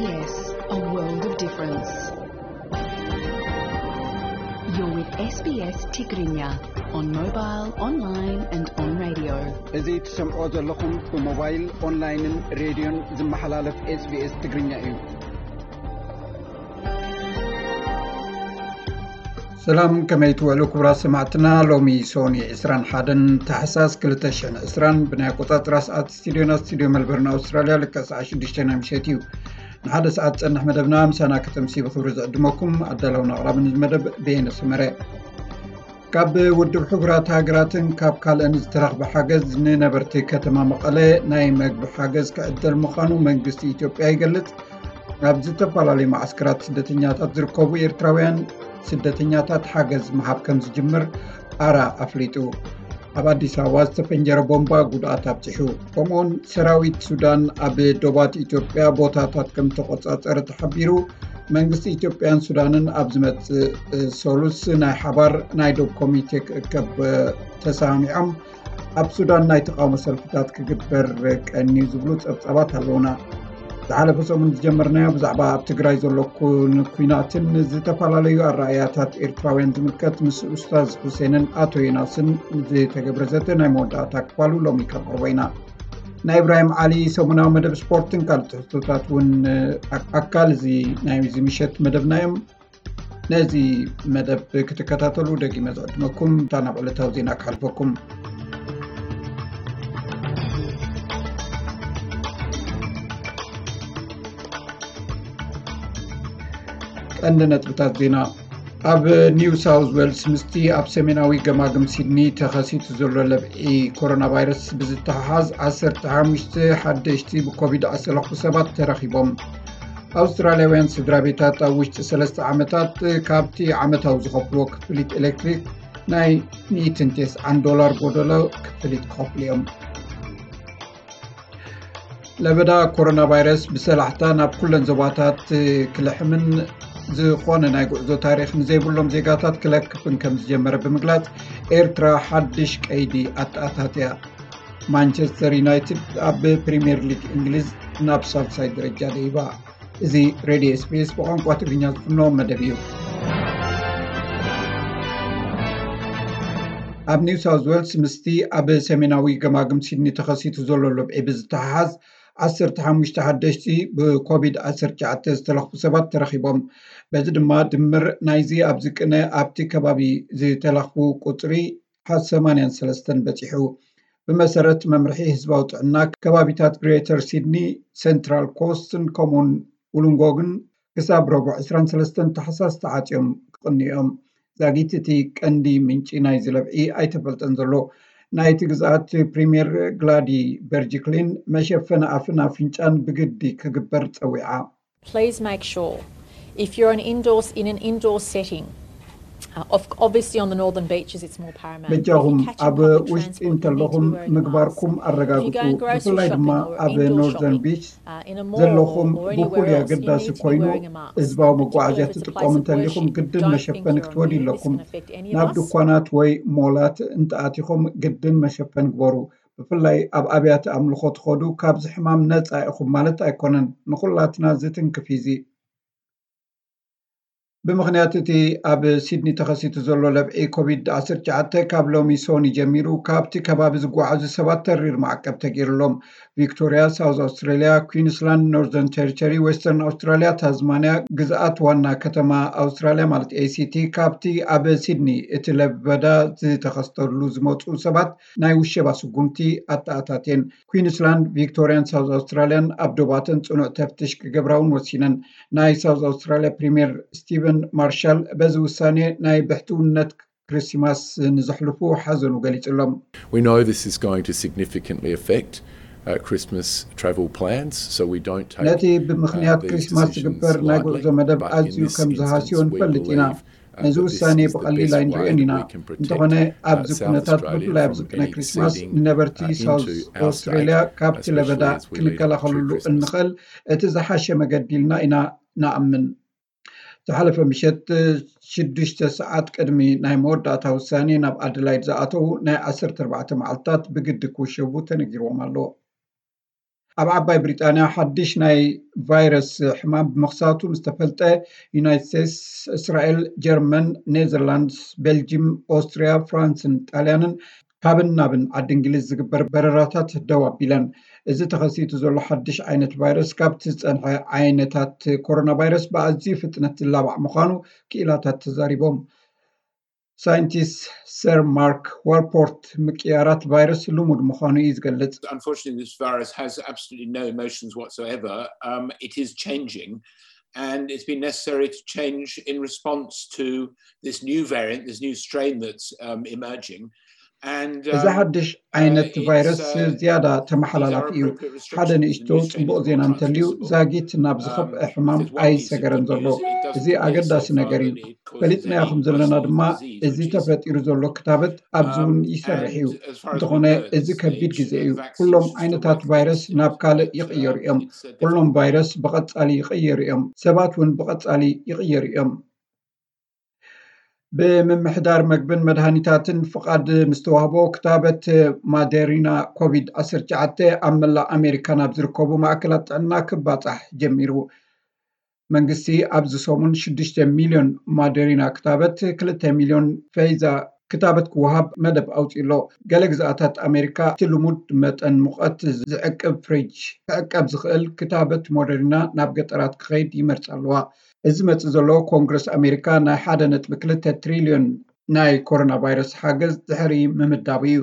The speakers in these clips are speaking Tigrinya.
Yes, a world of difference. You're with S B S Tigrinya on mobile, online and on radio. እዚ ትሰምዖ ዘለኹም ብሞባይል፣ ኦንላይንን ሬድዮን ዝመሓላለፍ SBS ትግርኛ እዩ። ሰላም፣ ከመይ ትውዕሉ ክቡራት ሰማዕትና? ሎሚ ሶኒ ዕስራን ሓደን ታሕሳስ ክልተ ሽሕን ዕስራን ብናይ ኣቆጻጽራ ሰዓት ስቱድዮና ስቱድዮ መልበርን ኣውስትራልያ ልክዕ ሰዓት ሽዱሽተ ናይ ምሸት እዩ። ንሓደ ሰዓት ዝጸንሕ መደብና ምሳና ከተምሲ ብኽብሪ ዝዕድመኩም ኣዳላውን ኣቕራብን እዚ መደብ በየነ ሰመረ። ካብ ውድብ ሕቡራት ሃገራትን ካብ ካልእን ዝተረኽበ ሓገዝ ንነበርቲ ከተማ መቐለ ናይ መግቢ ሓገዝ ክዕደል ምዃኑ መንግስቲ ኢትዮጵያ ይገልጽ። ኣብ ዝተፈላለዩ መዓስከራት ስደተኛታት ዝርከቡ ኤርትራውያን ስደተኛታት ሓገዝ ምሃብ ከም ዝጅምር ኣራ ኣፍሊጡ። ኣብ ኣዲስ ኣበባ ዝተፈንጀረ ቦምባ ጉድኣት ኣብፂሑ። ከምኡውን ሰራዊት ሱዳን ኣብ ዶባት ኢትዮጵያ ቦታታት ከም ተቆጻጸረ ተሓቢሩ። መንግስቲ ኢትዮጵያን ሱዳንን ኣብ ዝመጽእ ሰሉስ ናይ ሓባር ናይ ዶብ ኮሚቴ ክእከብ ተሰማሚዖም። ኣብ ሱዳን ናይ ተቃውሞ ሰልፍታት ክግበር ቀንዩ ዝብሉ ጸብጻባት ኣለውና። ዝሓለፈ ሰሙን ዝጀመርናዮ ብዛዕባ ኣብ ትግራይ ዘሎ ኩን-፣ ኩናትን ዝተፈላለዩ ኣረኣእያታት ኤርትራውያን ዝምልከት ምስ ኡስታዝ ሁሴንን ኣቶ ዮናስን ዝተገብረ ዘተ ናይ መወዳእታ ክፋሉ ሎሚ ከቕርቦ ኢና። ናይ ኢብራሂም ዓሊ ሰሙናዊ መደብ ስፖርትን ካልእ ትሕዝቶታት እውን ኣካል እዚ ናይ እዚ ምሸት መደብና እዮም። ነዚ መደብ ክትከታተሉ ደጊመ ዝዕድመኩም እታ ናብ ዕለታዊ ዜና ክሓልፈኩም። ቀንዲ ነጥብታት ዜና። ኣብ ኒው ሳውዝ ዌልስ ምስቲ ኣብ ሰሜናዊ ገማግም ሲድኒ ተኸሲቱ ዘሎ ለብዒ ኮሮና ቫይረስ ብዝተሓሓዝ ዓሰርተ ሓሙሽተ ሓደሽቲ ብኮቪድ ዝተለኽፉ ሰባት ተረኺቦም። ኣውስትራልያውያን ስድራ ቤታት ኣብ ውሽጢ ሰለስተ ዓመታት ካብቲ ዓመታዊ ዝኸፍልዎ ክፍሊት ኤሌክትሪክ ናይ ሚእትን ተስዓን ዶላር ጎደሎ ክፍሊት ክኸፍሉ እዮም። ለበዳ ኮሮና ቫይረስ ብሰላሕታ ናብ ኩለን ዞባታት ክልሕምን ዝኾነ ናይ ጉዕዞ ታሪኽ ንዘይብሎም ዜጋታት ክለክፍን ከም ዝጀመረ ብምግላጽ፣ ኤርትራ ሓድሽ ቀይዲ ኣተኣታትያ። ማንቸስተር ዩናይትድ ኣብ ፕሪምየር ሊግ እንግሊዝ ናብ ሳልሳይ ደረጃ ደይባ። እዚ ሬድዮ ኤስቢኤስ ብቋንቋ ትግርኛ ዝፍኖ መደብ እዩ። ኣብ ኒው ሳውዝ ዌልስ ምስቲ ኣብ ሰሜናዊ ገማግም ሲድኒ ተኸሲቱ ዘሎ ለብዒ ብዝተሓሓዝ ዓሰርተ ሓሙሽተ ሓደሽቲ ብኮቪድ ዓሰርተ ትሽዓተ ዝተለኽፉ ሰባት ተረኺቦም። በዚ ድማ ድምር ናይዚ ኣብዚ ቅነ ኣብቲ ከባቢ ዝተለኽፉ ቁጽሪ ሰማንያን ሰለስተን በጺሑ። ብመሰረት መምርሒ ህዝባዊ ጥዕና፣ ከባቢታት ግሬተር ሲድኒ፣ ሴንትራል ኮስትን ከምኡውን ውሉንጎግን ክሳብ ረቡዕ ዕስራን ሰለስተን ታሕሳስ ተዓጽዮም ክቕንዩ እዮም። ዛጊት እቲ ቀንዲ ምንጪ ናይዚ ለብዒ ኣይተፈልጠን ዘሎ። ናይቲ ግዝኣት ፕሪምየር ግላዲ በርጅክሊን መሸፈኒ ኣፍን ኣፍንጫን ብግዲ ክግበር ጸዊዓ። Please make sure, if you're an indoor, in an indoor setting, uh, of, obviously on the northern beaches it's more paramount. But if you በጃኹም catch a ኣብ public ውሽጢ transport, you need to እንተለኹም be wearing a mask. ምግባርኩም If you ኣረጋግጹ። go and grocery ብፍላይ ድማ shopping or ኣብ indoor ኖርዘርን shopping, ቢች uh, in a mall ዘለኹም or ብፍሉይ anywhere else, you ኣገዳሲ need to be ኮይኑ wearing a mask. ህዝባዊ መጓዓዝያ Particularly if it's a ትጥቀሙ place of እንተሊኹም worship, ግድን don't መሸፈኒ bring your own ክትወዱ gear. ኣለኩም። It's gonna affect any of ናብ us. ድኳናት ወይ ሞላት እንተኣቲኹም ግድን መሸፈኒ ግበሩ። ብፍላይ ኣብ ኣብያተ ኣምልኾ ትኸዱ ካብዚ ሕማም ነጻ ኢኹም ማለት ኣይኮነን። ንኹላትና ዝትንክፍ እዩ እዚ። ብምኽንያት እቲ ኣብ ሲድኒ ተኸሲቱ ዘሎ ለብዒ ኮቪድ ዓሰርተ ትሽዓተ ካብ ሎሚ ሶኒ ጀሚሩ ካብቲ ከባቢ ዝጓዓዙ ሰባት ተሪር ማዕቀብ ተገይሩሎም። ቪክቶሪያ፣ ሳውዝ ኣውስትራሊያ፣ ኩዊንስላንድ፣ ኖርዘርን ቴሪቶሪ፣ ዌስተርን ኣውስትራሊያ፣ ታዝማንያ፣ ግዝኣት ዋና ከተማ ኣውስትራሊያ ማለት ኤሲቲ፣ ካብቲ ኣብ ሲድኒ እቲ ለበዳ ዝተኸስተሉ ዝመፁ ሰባት ናይ ውሸባ ስጉምቲ ኣተኣታትየን። ኩዊንስላንድ፣ ቪክቶሪያን ሳውዝ ኣውስትራሊያን ኣብ ዶባተን ፅኑዕ ተፍትሽ ክገብራ እውን ወሲነን። ናይ ሳውዝ ኣውስትራሊያ ፕሪምየር ስቲቨን ማርሻል በዚ ውሳኔ ናይ ብሕትውነት ክሪስማስ ንዘሕልፉ ሓዘኑ ገሊጹሎም። We know this is going to significantly affect uh, Christmas travel plans, so we don't take ነቲ ብምኽንያት uh, these ክሪስማስ decisions ዝግበር ናይ lightly, ጉዕዞ መደብ but in ኣዝዩ this ከም ዝሃስዮ instance we ንፈልጥ ኢና። believe ነዚ ውሳኔ ብቐሊል ኣይንሪኦን ኢና። እንተኾነ ኣብዚ ኩነታት ብፍላይ ኣብዚ ቅነ ክሪስማስ ንነበርቲ ሳውዝ ኣውስትራሊያ ካብቲ ለበዳ ክንከላኸልሉ እንኽእል እቲ ዝሓሸ መገዲ ኢልና ኢና ንኣምን። ዝሓለፈ ምሸት ሽዱሽተ ሰዓት ቅድሚ ናይ መወዳእታ ውሳኔ ናብ ኣደላይድ ዝኣተዉ ናይ ዓሰርተ ኣርባዕተ መዓልታት ብግዲ ክውሸቡ ተነጊርዎም ኣሎ። ኣብ ዓባይ ብሪጣንያ ሓድሽ ናይ ቫይረስ ሕማም ብምኽሳቱ ምስ ተፈልጠ፣ ዩናይትድ ስቴትስ፣ እስራኤል፣ ጀርመን፣ ኔዘርላንድስ፣ ቤልጂም፣ ኦስትሪያ፣ ፍራንስን ጣልያንን ካብን ናብን ዓዲ እንግሊዝ ዝግበር በረራታት ደው ኣቢለን። እዚ ተኸሲቱ ዘሎ ሓድሽ ዓይነት ቫይረስ ካብቲ ዝጸንሐ ዓይነታት ኮሮና ቫይረስ ብኣዝዩ ፍጥነት ዝላባዕ ምዃኑ ክኢላታት ተዛሪቦም። ሳይንቲስት ሰር ማርክ ዋልፖርት፣ ምቅያራት ቫይረስ ልሙድ ምዃኑ እዩ ዝገልጽ። Unfortunately, this virus has absolutely no emotions whatsoever. Um, it is changing, and it's been necessary to change in response to this new variant, this new strain that's um, emerging. And እዚ ሓድሽ ዓይነት ቫይረስ ዝያዳ ተመሓላላፊ እዩ። ሓደ ንእሽቶ ጽቡቕ ዜና እንተልዩ፣ ዛጊት ናብ ዝኸፍአ ሕማም ኣይሰገረን ዘሎ። እዚ ኣገዳሲ ነገር እዩ። ፈሊጥናዮ ከም ዘለና ድማ፣ እዚ ተፈጢሩ ዘሎ ክታበት ኣብዚ እውን ይሰርሕ እዩ። እንተኾነ፣ እዚ ከቢድ ግዜ እዩ። ኩሎም ዓይነታት ቫይረስ ናብ ካልእ ይቕየሩ እዮም። ኩሎም ቫይረስ ብቐጻሊ ይቕየሩ እዮም። ሰባት እውን ብቐጻሊ ይቕየሩ እዮም። ብምምሕዳር መግብን መድሃኒታትን ፍቓድ ምስ ተዋህቦ፣ ክታበት ማደሪና ኮቪድ ዓሰርተ ትሽዓተ ኣብ መላእ ኣሜሪካ ናብ ዝርከቡ ማእከላት ጥዕና ክባጻሕ ጀሚሩ። መንግስቲ ኣብዚ ሰሙን ሽዱሽተ ሚልዮን ማደሪና ክታበት፣ ክልተ ሚልዮን ፌዛ ክታበት ክወሃብ መደብ ኣውጺኡ ኣሎ። ገለ ግዝኣታት ኣሜሪካ እቲ ልሙድ መጠን ሙቐት ዝዕቅብ ፍሪጅ ክዕቀብ ዝኽእል ክታበት ሞደሪና ናብ ገጠራት ክኸይድ ይመርጻ ኣለዋ። እዚ መጽእ ዘሎ፣ ኮንግረስ ኣሜሪካ ናይ ሓደ ነጥቢ ክልተ ትሪልዮን ናይ ኮሮና ቫይረስ ሓገዝ ድሕሪ ምምዳቡ እዩ።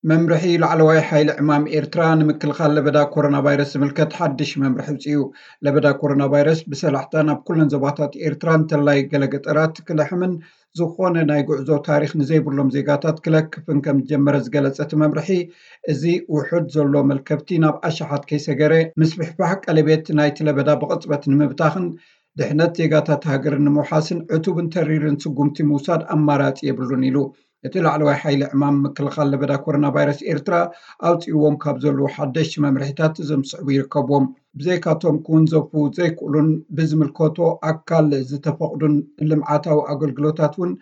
መምርሒ ላዕለዋይ ሓይሊ ዕማም ኤርትራ ንምክልኻል ለበዳ ኮሮና ቫይረስ ዝምልከት ሓድሽ መምርሒ ኣውጺኡ። ለበዳ ኮሮና ቫይረስ ብሰላሕታ ናብ ኩለን ዞባታት ኤርትራ፣ እንተላይ ገለ ገጠራት፣ ክልሕምን ዝኾነ ናይ ጉዕዞ ታሪኽ ንዘይብሎም ዜጋታት ክለክፍን ከም ዝጀመረ ዝገለጸ እቲ መምርሒ፣ እዚ ውሑድ ዘሎ መልከፍቲ ናብ ኣሽሓት ከይሰገረ፣ ምስፍሕፋሕ ቀለቤት ናይቲ ለበዳ ብቕጽበት ንምብታኽን ድሕነት ዜጋታት ሃገር ንምውሓስን ዕቱብን ተሪርን ስጉምቲ ምውሳድ ኣማራጺ የብሉን ኢሉ። እቲ ላዕለዋይ ሓይሊ ዕማም ምክልኻል ለበዳ ኮሮና ቫይረስ ኤርትራ ኣውጺእዎም ካብ ዘለዉ ሓደሽቲ መምርሒታት እዞም ዝስዕቡ ይርከብዎም። ብዘይካቶም ክውንዘፉ ዘይክእሉን ብዝምልከቶ ኣካል ዝተፈቕዱን ልምዓታዊ ኣገልግሎታት እውን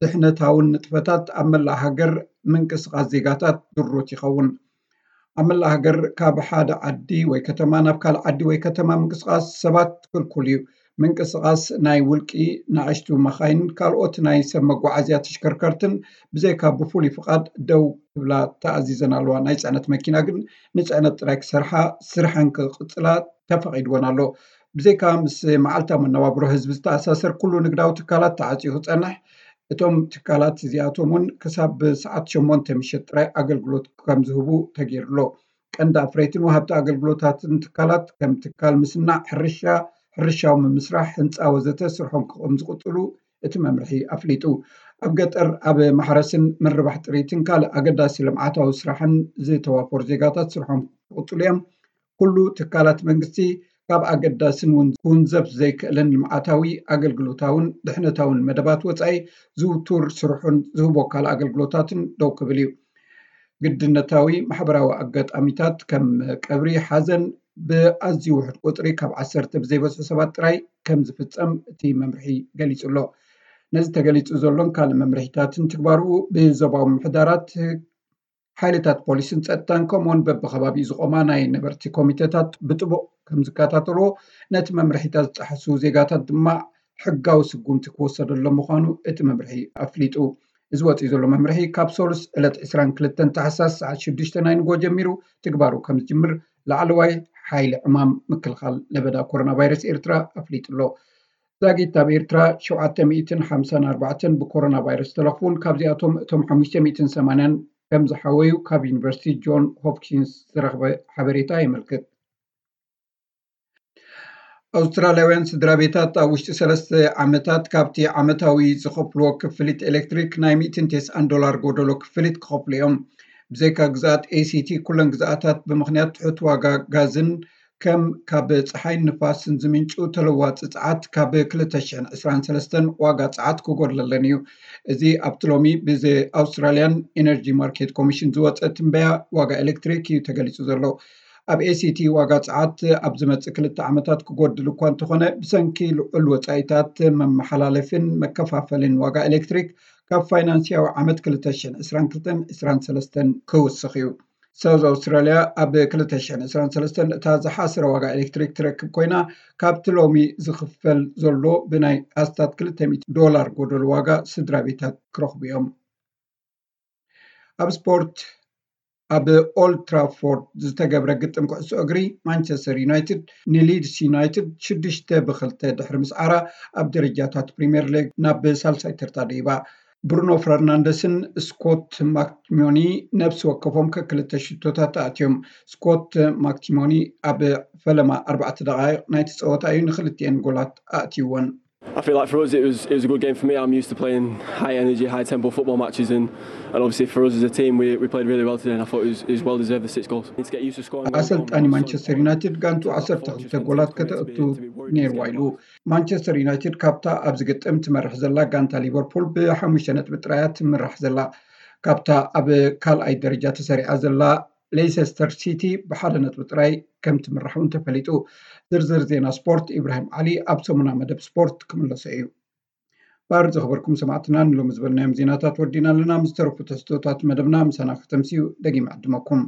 ድሕነታውን ንጥፈታት ኣብ መላእ ሃገር ምንቅስቓስ ዜጋታት ድሩት ይኸውን። ኣብ መላእ ሃገር ካብ ሓደ ዓዲ ወይ ከተማ ናብ ካልእ ዓዲ ወይ ከተማ ምንቅስቓስ ሰባት ክልኩል እዩ። ምንቅስቓስ ናይ ውልቂ ንኣሽቱ መኻይን፣ ካልኦት ናይ ሰብ መጓዓዝያ ተሽከርከርትን ብዘይካ ብፍሉይ ፍቓድ ደው ክብላ ተኣዚዘን ኣለዋ። ናይ ጽዕነት መኪና ግን ንጽዕነት ጥራይ ክሰርሓ፣ ስርሐን ክቕጽላ ተፈቒድወን ኣሎ። ብዘይካ ምስ መዓልታዊ መነባብሮ ህዝቢ ዝተኣሳሰር ኩሉ ንግዳዊ ትካላት ተዓጽዩ ክጸንሕ፣ እቶም ትካላት እዚኣቶም እውን ክሳብ ሰዓት ሸሞንተ ምሸት ጥራይ ኣገልግሎት ከም ዝህቡ ተገይሩ ኣሎ። ቀንዲ ኣፍረይትን ወሃብቲ ኣገልግሎታትን ትካላት ከም ትካል ምስናዕ፣ ሕርሻ፣ ሕርሻዊ ምምስራሕ፣ ህንፃ ወዘተ ስርሖም ከም ዝቕፅሉ እቲ መምርሒ ኣፍሊጡ። ኣብ ገጠር ኣብ ማሕረስን ምርባሕ ጥሪትን ካልእ ኣገዳሲ ልምዓታዊ ስራሕን ዝተዋፈሩ ዜጋታት ስርሖም ክቕፅሉ እዮም። ኩሉ ትካላት መንግስቲ ካብ ኣገዳስን እውን ክውንዘፍ ዘይክእልን ልምዓታዊ፣ ኣገልግሎታውን ድሕነታውን መደባት ወፃኢ ዝውቱር ስርሑን ዝህቦ ካልእ ኣገልግሎታትን ደው ክብል እዩ። ግድነታዊ ማሕበራዊ ኣጋጣሚታት ከም ቀብሪ፣ ሓዘን ብኣዝዩ ውሑድ ቁፅሪ ካብ ዓሰርተ ብዘይበዝሑ ሰባት ጥራይ ከም ዝፍፀም እቲ መምርሒ ገሊጹ ኣሎ። ነዚ ተገሊጹ ዘሎን ካልእ መምርሒታትን ትግባርኡ ብዞባዊ ምምሕዳራት፣ ሓይልታት ፖሊስን ጸጥታን ከምኡውን በብኸባቢኡ ዝቖማ ናይ ነበርቲ ኮሚተታት ብጥቡቕ ከም ዝከታተልዎ፣ ነቲ መምርሒታት ዝጠሓሱ ዜጋታት ድማ ሕጋዊ ስጉምቲ ክወሰደሎም ምዃኑ እቲ መምርሒ ኣፍሊጡ። እዚ ወጺኡ ዘሎ መምርሒ ካብ ሰሉስ ዕለት ዕስራን ክልተን ታሕሳስ ሰዓት ሽዱሽተ ናይ ንጎ ጀሚሩ ትግባሩ ከም ዝጅምር ላዕለዋይ ሓይሊ ዕማም ምክልኻል ለበዳ ኮሮና ቫይረስ ኤርትራ ኣፍሊጡ ኣሎ። ዛጊት ኣብ ኤርትራ ሸውዓተ ሚእትን ሓምሳን ኣርባዕተን ብኮሮና ቫይረስ ተለኽፉን ካብዚኣቶም እቶም ሓሙሽተ ሚእትን ሰማንያን ከም ዝሓወዩ ካብ ዩኒቨርሲቲ ጆን ሆፕኪንስ ዝረኽበ ሓበሬታ የመልክት። ኣውስትራልያውያን ስድራ ቤታት ኣብ ውሽጢ ሰለስተ ዓመታት ካብቲ ዓመታዊ ዝኸፍልዎ ክፍሊት ኤሌክትሪክ ናይ ሚእትን ቴስዓን ዶላር ጎደሎ ክፍሊት ክኸፍሉ እዮም። ብዘይካ ግዝኣት ኤሲቲ ኩለን ግዝኣታት ብምኽንያት ትሑት ዋጋ ጋዝን ከም ካብ ጸሓይን ንፋስን ዝምንጩ ተለዋጢ ጸዓት ካብ ክልተ ሽሕን ዕስራን ሰለስተን ዋጋ ጸዓት ክጎድለለን እዩ። እዚ ኣብቲ ሎሚ ብዚ ኣውስትራልያን ኤነርጂ ማርኬት ኮሚሽን ዝወጸ ትንበያ ዋጋ ኤሌክትሪክ እዩ ተገሊጹ ዘሎ። ኣብ ኤሲቲ ዋጋ ጸዓት ኣብ ዝመጽእ ክልተ ዓመታት ክጎድል እኳ እንተኾነ፣ ብሰንኪ ልዑል ወጻኢታት መመሓላለፊን መከፋፈልን ዋጋ ኤሌክትሪክ ካብ ፋይናንስያዊ ዓመት ክልተ ሽሕን ዕስራን ክልተን ዕስራን ሰለስተን ክውስኽ እዩ። ሳውዝ ኣውስትራልያ ኣብ ክልተ ሽሕን ዕስራን ሰለስተን እታ ዝሓሰረ ዋጋ ኤሌክትሪክ ትረክብ ኮይና፣ ካብቲ ሎሚ ዝኽፈል ዘሎ ብናይ ኣስታት ክልተ ሚእቲ ዶላር ጎደሎ ዋጋ ስድራ ቤታት ክረኽቡ እዮም። ኣብ ስፖርት፣ ኣብ ኦልድ ትራፎርድ ዝተገብረ ግጥም ኩዕሶ እግሪ፣ ማንቸስተር ዩናይትድ ንሊድስ ዩናይትድ ሽዱሽተ ብክልተ ድሕሪ ምስዓራ፣ ኣብ ደረጃታት ፕሪምየር ሊግ ናብ ሳልሳይ ተርታ ደይባ። ብሩኖ ፈርናንደስን ስኮት ማክቲሞኒ ነብሲ ወከፎም ከክልተ ሽቶታት ኣእትዮም። ስኮት ማክቲሞኒ ኣብ ፈለማ ኣርባዕተ ደቓይቕ ናይቲ ጸወታ እዩ ንክልቲኤን ጎላት ኣእትይወን። I feel like for us it was it was a good game for me. I'm used to playing high energy, high tempo football matches, and and obviously for us as a team, we, we played really well today, and I thought it was, it was well deserved the six goals. Need to get used to scoring. ኣሰልጣኒ ማንቸስተር ዩናይትድ ጋንቱ ዓሰርተ ክልተ ጎላት ከተእቱ ነይርዋ ኢሉ። ማንቸስተር ዩናይትድ ካብታ ኣብዚ ግጥም ትመርሕ ዘላ ጋንታ ሊቨርፑል ብሓሙሽተ ነጥቢ ጥራያ ትምራሕ ዘላ። ካብታ ኣብ ካልኣይ ደረጃ ተሰሪዓ ዘላ ሌይሰስተር ሲቲ ብሓደ ነጥቢ ጥራይ ከም ትምራሕ እውን ተፈሊጡ። ዝርዝር ዜና ስፖርት ኢብራሂም ዓሊ ኣብ ሰሙና መደብ ስፖርት ክምለሶ እዩ። ባር ዝኽበርኩም ሰማዕትና ንሎሚ ዝበልናዮም ዜናታት ወዲና ኣለና። ምስ ተረፉ ተስቶታት መደብና ምሳና ከተምስዩ ደጊም ዕድመኩም።